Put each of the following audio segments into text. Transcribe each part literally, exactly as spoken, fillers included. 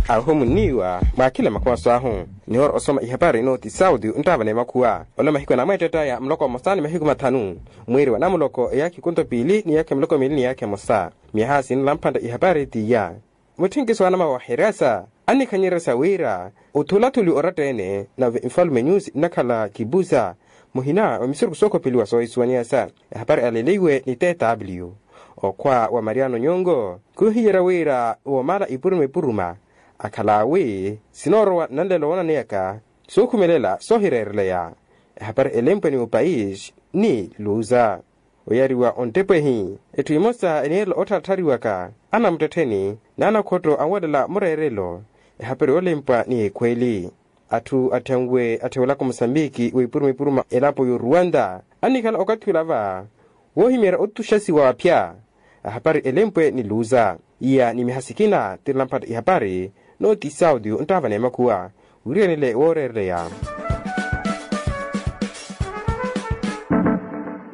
Ahu munniiwa mwakhila makhwaso ahu. Nihoora osoma ihapari ino ti sauti nttaavana emakhuwa. Ola mahiku anamweettettaya muloko mmosa ni mahiku mathanu, mwiiri wa namuloko eyaakhi kunto piili ni eyaakhi miloko miili ni eyaakhi emosa. Myaha sinla mphantta ihapari t'iya. Mutthenkiso anamawaheryasa annikhanyererya sa wira othulathuli oratta-ene nave nfalume nyusi nnakhala kipusa muhina wa misurukhu sookhopeliwa soohisuwaniyasa. Ehapari aleleiwe ni tw. Okhwa wa mariano nyongo khuhiyerya wira woomala ipuruma ipuruma akhala awi sinoorowa nanlelo woonaneyaka sookhumelela soohireereleya. Ehapari elempwe ni opais ni luza. Oyariwa onttepo ehi etthu emosa eniirela ottharatthariwaka anamuttettheni n'anakhotto anwelela mureerelo. Ehapari yoolempwa ni ekhweeli atthu atthenwe atthewelaka omusambiki w'ipuruma ipuruma elapo y'oruwanta annikhala okathi olava woohimeerya otuxasiwa aphya. Ahapari elempwe ni luza iya ni myaha sikina tirila mphatta ihapari. Nooti sauti nttaavana emakhuwa wiirenele wooreereleya.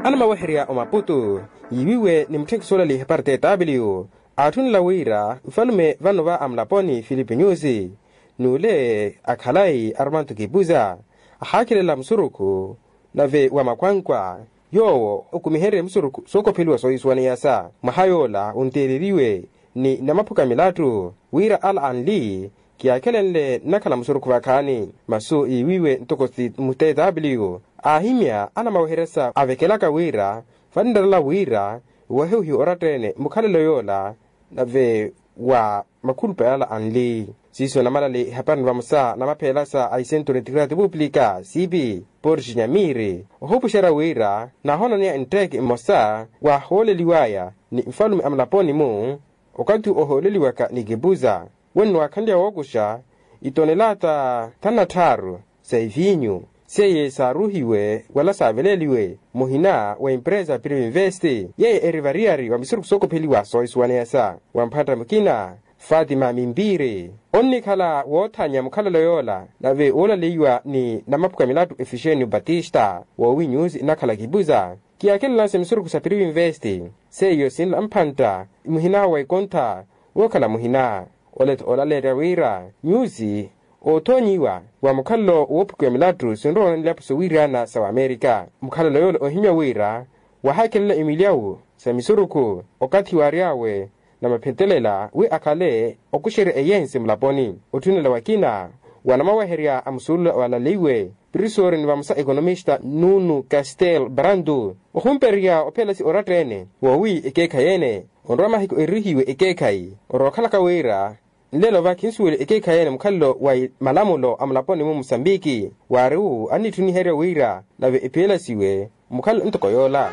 Anamaweherya omaputu yiiwiwe ni mutthenkiso olaleya ihapari tw aatthunnela wira nfalume vano va amulaponi filipe nyusi n'ule akhalayi armanto kipusa ahaakhelela musurukhu nave wa makwankwa yoowo okumiherye musurukhu sookopheliwa soohisuwaneyasa mwaha yoola onteereriwe ni namaphuka milattu wira ala anli kiyaakhelenle nnakhala musurukhu vakhaani. Masu yiiwiwe ntoko ti mutw aahimya anamaweheryasa avekelaka wira vanirarala wira wahiwihiwe oratta-ene mukhalelo yoola nave wa makhulupa yala anli siiso namalale ehapari ni vamosa namapheelasa a isentro ni tikirati pupulika sipi porge nyamiiri ohupuxerya wira naahonaneya ntteeke mmosa waahooleliwaya ni nfalume a mulaponi-mu. Okathi ohooleliwaka ni kipusa wenno waakhanlya wookuxa itonelaata thanu na tthaaru sa eviinyu seiye saaruuhiwe wala saaveleliwe muhina wa empresa privinvest yeiye eri variyari wa misurukhu sookopheliwa soohisuwaneyasa wa mphantta mukina fatima mimpiiri onnikhala wootthanya mukhalelo yoola nave woolaleiwa ni namaphuka milattu efixenio batista woowi nyusi nnakhala kipusa kiyaakhelelansya misurukhu sa privinvest seiyo sinla mphantta muhina wa ekontha wookhala muhina. Ole-tho olaleerya wira nyusi oothoonyiwa wa mukhalelo woophukiwa milattu sinrowa ni ilapo sowiiriyana sa wamerika mukhalelo yoola ohimya wira wahaakhelela imilyawu sa misurukhu okathi waary'awe na maphetelela wi akhale okuxerya eyense mulaponi otthunelela wakina wa namaweherya a musuulula walaleiwe prisoori ni vamosa ekonomista nunu castel brandu ohumperiya ophelasi oratta-ene woowi ekeekhayi ene onrowa mahiku erihiwe ekeekhayi orookhalaka wira nlelo va khinsuweliwa ekeekhayi ene mukhalelo wa malamulo a mulaponi-mu musambiki waari-wu annitthuniherya wira nave ephelasiwe mukhalelo ntoko yoola.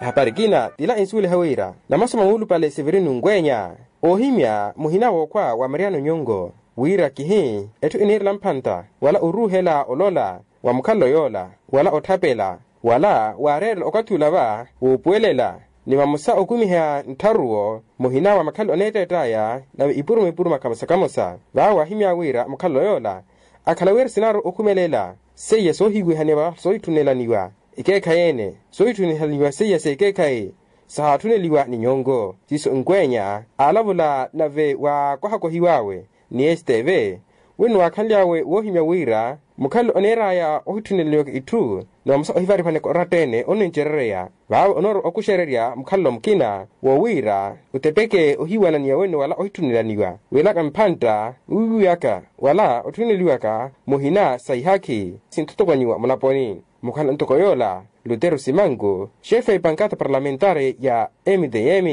Ehapari ekina tila ensuweliha wira namasoma muulupale severino nkwenya oohimya muhina wookhwa wa mariano nyongo wira kihi etthu eniirela mphantta wala oruuhela olola wa mukhalelo yoola wala otthapela wala waareerela okathi olava woopuwelela ni vamosa okumiha nttharuwo muhina wa makhalelo aneetteett'aya nave ipuruma ipuruma kamosa kamosa vaawo waahimya wira mukhalelo yoola akhala wira sinaaru okhumelela seiya soohiwihaniwa soohitthunelaniwa ekeekhayi ene soohitthunelaniwa seiya s'ekeekhayi sahaatthunneliwa ni nyongo siiso nkwenya aalavula nave waakohakohiw'awe ni steve wenno waakhanly'awe woohimya wira mukhalelo oneer'aya ohitthunelaniwaka itthu ni vamosa ohivarivaniwaka oratta-ene onnincerereya vaawe onoorowa okuxererya mukhalelo mukina woowiira otepeke ohiwananiya wenno wala ohitthunelaniwa wiilaka mphantta wiiwiwaka wala otthuneliwaka muhina sa ihakhi sinthotokonyiwa mulaponi mukhala ntoko yoola lutero simanku xefe a epankata parlamentari ya mtm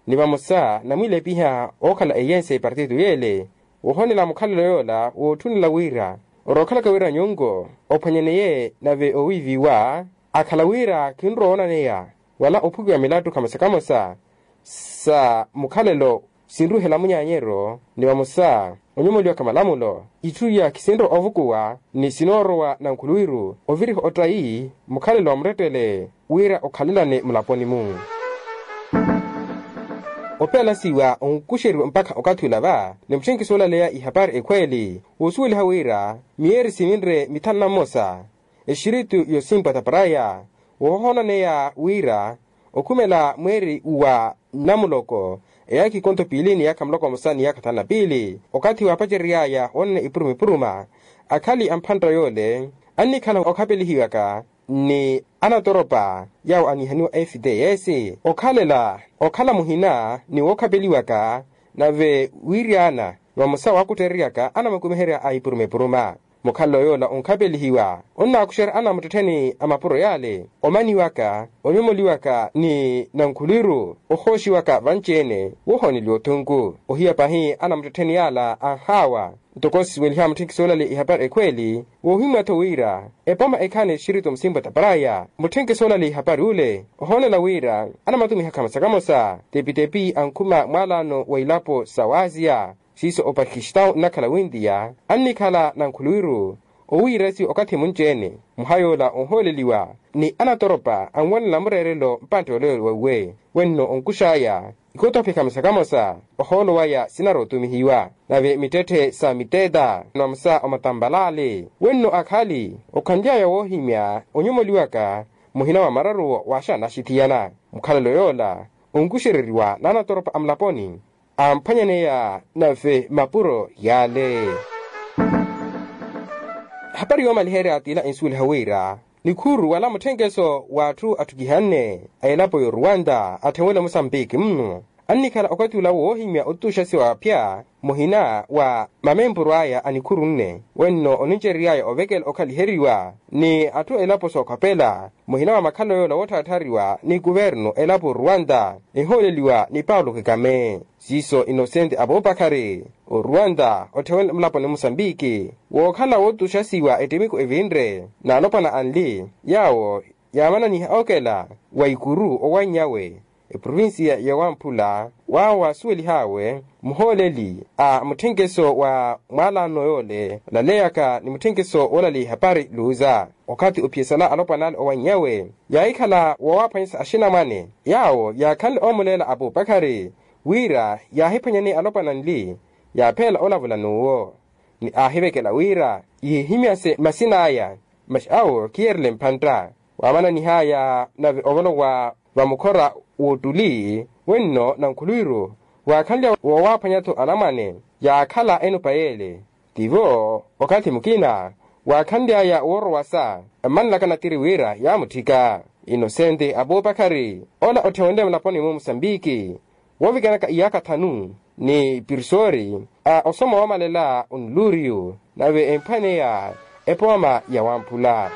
ni vamosa namwiilepiha ookhala eyense ya epartito yeele woohonela mukhalelo yoola wootthunela wira orookhalaka wira nyonko ophwanyaneye nave owiiviwa akhala wira khinrowa woonaneya wala ophukiwa milattu kamosa kamosa sa mukhalelo sinruhela munyaanyeryo ni vamosa onyomoliwaka malamulo itthu iya khisinrowa ovukuwa ni sinoorowa na nkhuluwiru oviriha ottayi mukhalelo wa murettele wira okhalelane mulaponi-mu. Opeelasiwa onkuxeriwa mpakha okathi olava ni mutthenkiso olaleya ihapari ekhweeli woosuweliha wira miyeeri sivinre mithanu na mmosa exiritu yosimpwa taparaya woohohonaneya wira okhumela mweeri wa namuloko eyaakha ikonto piili ni yaakha muloko musa ni yaakha thanu na piili okathi waapacery'aya woonana ipuruma ipuruma. Akhali a mphantta yoole annikhala okhapelihiwaka ni anatoropa yaawo anihaniwa fts okhalela okhala muhina ni wookhapeliwaka nave wiiryaana ni vamosa waakuttereryaka anamukumiherya a ipuruma ipuruma. Mukhalelo yoola onkhapelihiwa onnaakuxerya anamuttettheni a mapuro yaale omaniwaka onyomoliwaka ni nankhulwiru ohooxiwaka vanci-ene woohooneliwa othunku ohiya pahi anamuttettheni yaala anhaawa. Ntoko sisuweliha mutthenkiso olale ihapari ekhweeli woohimya-tho wira epooma ekhaani exirito musimpwa taparaya mutthenkiso olale ihapari ule ohoonela wira anamatumiha kamosa kamosa tepitepi ankhuma mwaalaano wa ilapo sa waaziya siiso opakistau nnakhala wintiya annikhala nankhulwiru owiirasi okathi munci-ene muhayoola onhooleliwa ni anatoropa anwanela mureerelo mpantte oleyo wauwe wenno onkux'aya ikotophe kamosa kamosa ohoolo waya sinarootumihiwa nave mittetthe sa mitteetta ni vamosa omatampalaale wenno akhali okhanly'aya woohimya onyomoliwaka muhina wa mararuwo waaxanaxithiyana mukhalelo yoola onkuxereriwa n'anatoropa a mulaponi amphwanyaneya nave mapuro yaale. Ehapari yoomaliherya t'ila ensuweliha wira nikhuru wala mutthenkeso w'atthu atthukihanne a elapo y'oruwanta atthewele musambiki mmu annikhala okathi ula woohimya otutuxasiwa aphya muhina wa mamempuru aya a nikhuru nne wenno onincerery'aya ovekela okhaliheriwa ni atthu a elapo sookhopela muhina wa makhalelo yoola woottharatthariwa ni kuvernu elapo oruwanta ehooleliwa ni paulo kekame siiso inosente apupakhari oruwanta otthewene mulaponi musambiki wookhala wootuxasiwa ettimiko evinre n'alopwana anli yaawo yaamananiha okela wa ikuru owanny'awe eprovincia ya wamphula waawo waasuwelih'awe muhooleli a mutthenkeso wa mwaalaano yoole olaleyaka ni mutthenkeso woolale ihapari luuza okathi ophiyesala alopwana ale owanny'awe yaahikhala woowaphwanyisa axinamwane yaawo yaakhanle oomuleela apupakhari wira yaahiphwanyaneya alopwana anli yaapheela olavula n'uwo ni aahivekela wira yihihimyase masin'aya masi awo khiyeerele mphantta waamananih'aya nave ovolowa vamukhora w'ottuli wenno nankhulwiru waakhanlya woowaaphwanya-tho anamwane yaakhala enupa yeele tivo okathi mukina waakhanly'aya woorowasa emmanlaka natiri wira yaamutthika inosente apupakhari ola otthenwenle mulaponi-mu musambiki woovikanaka iyaakha thanu ni pirsori a osoma woomalela onluriyu nave emphwaneya epooma ya wamphula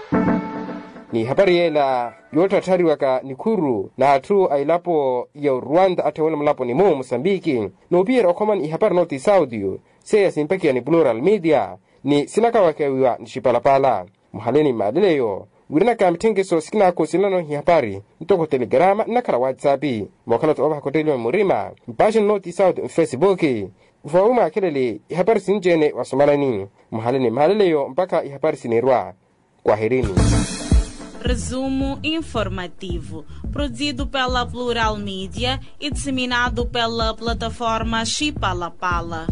n'ihapari yeela yootthatthariwaka nikhuru n'atthu a elapo ya oruwanta atthewene mulaponi-mu musambiki n'uphiyerya okhomani ihapari nooti sauti seiya simpakiwa ni plural media ni sinakawakewiwa ni xipalapala muhale ni maaleleyo wiiranaka mitthenkeso sikinaakosilana ihapari ntoko telegrama nnakhala whatsapp mookhala-tho oovahaka otteliwa murima mpaaxini nooti sauti mfesipuki voowi mwaakhelele ihapari sinci-ene wasomanani muhale ni maaleleyo mpakha ihapari sinirwa kwahirini. Resumo informativo, produzido pela Plural Mídia e disseminado pela plataforma Chipalapala.